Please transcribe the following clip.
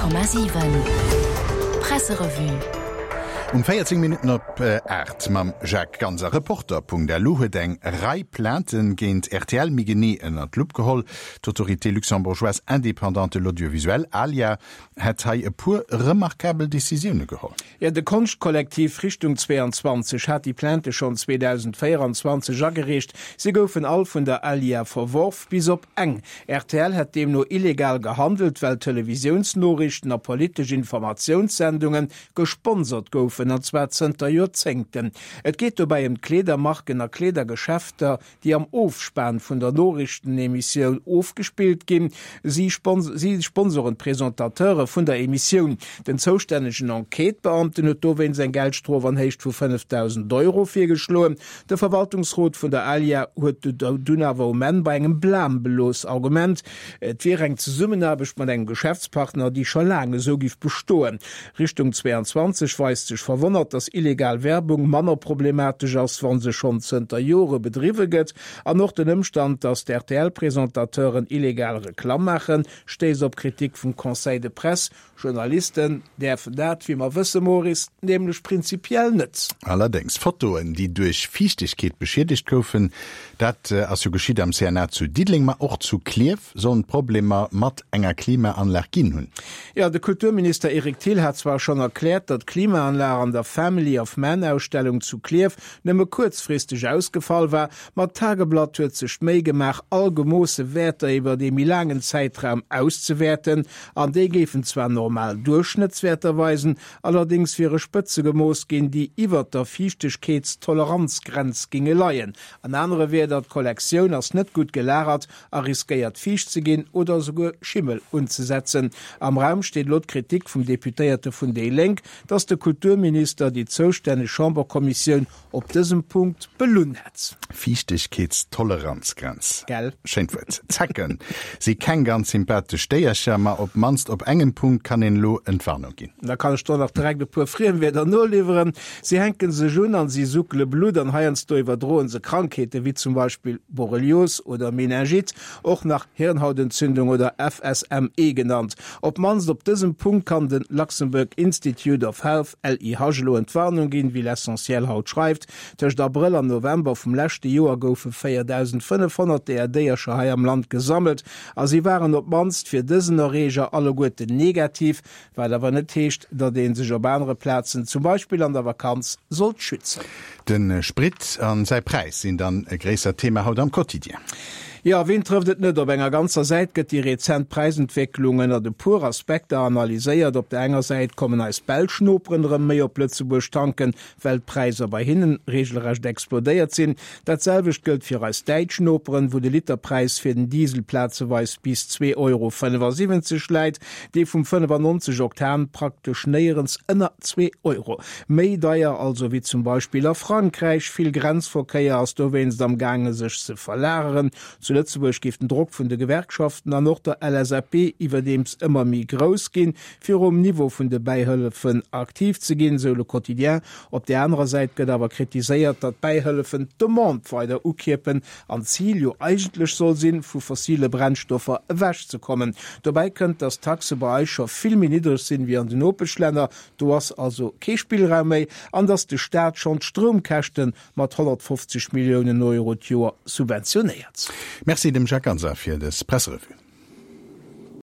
100,7 Presserevue. Um 14 Minutten op 8 mam Jacques Ganser. Reporter.lu huet eng Rei Plaintë géint rtl méi genee ënner d'Lupp geholl. D'Autorité luxembourgeoise indépendante de l'audiovisuel, ALIA, hätt hei e puer remarkabel Decisioune geholl. Jo, de Konschtkollektiv Richtung 22 hat déi Plainte schonn 2024 agereecht. Si goufen all vun der ALIA verworf, bis op eng. Rtl hätt deemno illegal gehandelt, well Televisiounsnoriichten a politesch Informatiounssendunge gesponsert goufen, an zwar zënter Joerzéngten. Et geet dobäi ëm d'Kleedermarken a Kleedergeschäfter, déi am Ofspan vun der Noriichtenemissioun ofgespillt ginn. Si sponsoren d'Presentateure vun der Emissioun. Den zoustännegen Enquêtebeamten huet dowéinst eng Geldstrof an Héicht vu 5.000 Euro virgeschloen. De Verwaltungsrot vun der ALIA huet dunn awer um Enn bei engem Blam belooss. Argument, Et wier eng Zesummenaarbecht mat engem Geschäftspartner, déi scho laang esou giff bestoen. Richtung 22 weist sech verwonnert, datt illegal Werbung manner problematesch ass, wa se schonn zënter Jore bedriwwe gëtt. An och den Ëmstand, datt d'RTL-Presentateuren illegal Reklamm maachen, stéisst op Kritik vum Conseil de Presse. Journalisten däerfen dat, wéi mer wësse, Maurice, nämlech prinzipiell net. Allerdéngs, Fotoen, déi duerch Fiichtegkeet beschiedegt goufen, dat ass jo geschitt am CNA zu Diddeleng, ma och zu Klierf sollen et Problemer mat enger Klimaanlag ginn hunn. Jo, de Kulturminister Eric Thill hat zwar schonn erkläert, datt d'Klimaanlag an der Family of Man-Ausstellung zu Klierf nëmme kuerzfristeg ausgefall war, ma d'Tageblatt huet sech d'Méi gemaach, all gemoosse Wäerter iwwert ee méi laangen Zäitraum auszewäerten, an déi géifen zwar normal Duerchschnëttswäerter weisen, allerdéngs wiere Spëtze gemooss ginn, déi iwwert der Fiichtegkeetstoleranzgrenz ginge leien. An anere Wierder, d'Kollektioun ass net gutt gelagert a riskéiert fiicht ze ginn oder esouguer Schimmel unzesetzen. Am Raum steet elo d'Kritik vum Deputéierte vun déi Lénk, datt de Kulturminister déi zoustänneg Chamberkommissioun op dësem Punkt belunn hätt. Fiichtegkeetstoleranzgrenz. Gell? Schéint Wuert. Zecken si keng ganz sympathesch Déiercher, ma op d'mannst op engem Punkt kann een elo Entwarnung ginn. Da kann ech der nach direkt e puer Friemwierder noliwweren. Si hänken sech un an si suckele Blutt an heiansdo iwwerdroen se Krankheeten, wéi zum Beispill Borrelios oder Meningite, och nach Hirnhautentzündung oder FSME genannt. Op d'mannst op dësem Punkt kann de Luxembourg Institute of Health, LIH, elo Entwarnung ginn, wéi L'Essentiel haut schreift. Tëscht Abrëll an November vum leschte Joer goufe 4.500 deeër Déiercher hei am Land gesammelt a si waren op d'mannst fir dësen Erreeger alleguerten negativ. Wat awer net heescht, datt ee sech op anere Plazen, zum Beispill an der Vakanz, sollt schützen. De Sprit a säi Präis sinn dann e gréissert Thema haut am Quotidien. Jo, ween trëfft et net? Op enger ganzer Säit gëtt déi rezent Präisentwécklung ënnert e puer Aspekter analyséiert. Op der enger Säit kommen eis belsch Noperen erëm méi op Lëtzebuerg tanken, well d'Präisser bei hinnen regelrecht explodéiert sinn. Dat selwecht gëllt fir eis däitsch Noperen, wou de Literpräis fir den Diesel plazeweis bis 2,75 Euro läit, dee vum 95 Oktan praktesch néierens ënner 2 Euro. Méi deier also wéi zum Beispill a Frankräich. Vill Grenzverkéier ass dowéinst am gaange sech ze verlageren. Zu Lëtzebuerg géif den Drock vun de Gewerkschaften an och der LSAP iwwerdeems ëmmer méi grouss ginn, fir um Niveau vun de Bäihëllefen aktiv ze ginn, sou Le Quotidien. Op där anerer Säit gëtt awer kritiséiert, datt d'Bäihëllefen d'Demande weider ukierpen an d'Zil jo eigentlech soll sinn, vu fossile Brennstoffer ewechzekommen. Dobäi kënnt, datt d'Taxe bei eis scho vill méi niddreg sinn wéi an den Nopeschlänner, do ass also kee Spillraum méi, an datt de Staat schonn d'Stroumkäschte mat 150 Milliounen Euro d'Joer subventionéiert. Merci dem Jacques Ganser fir dës Presserevue.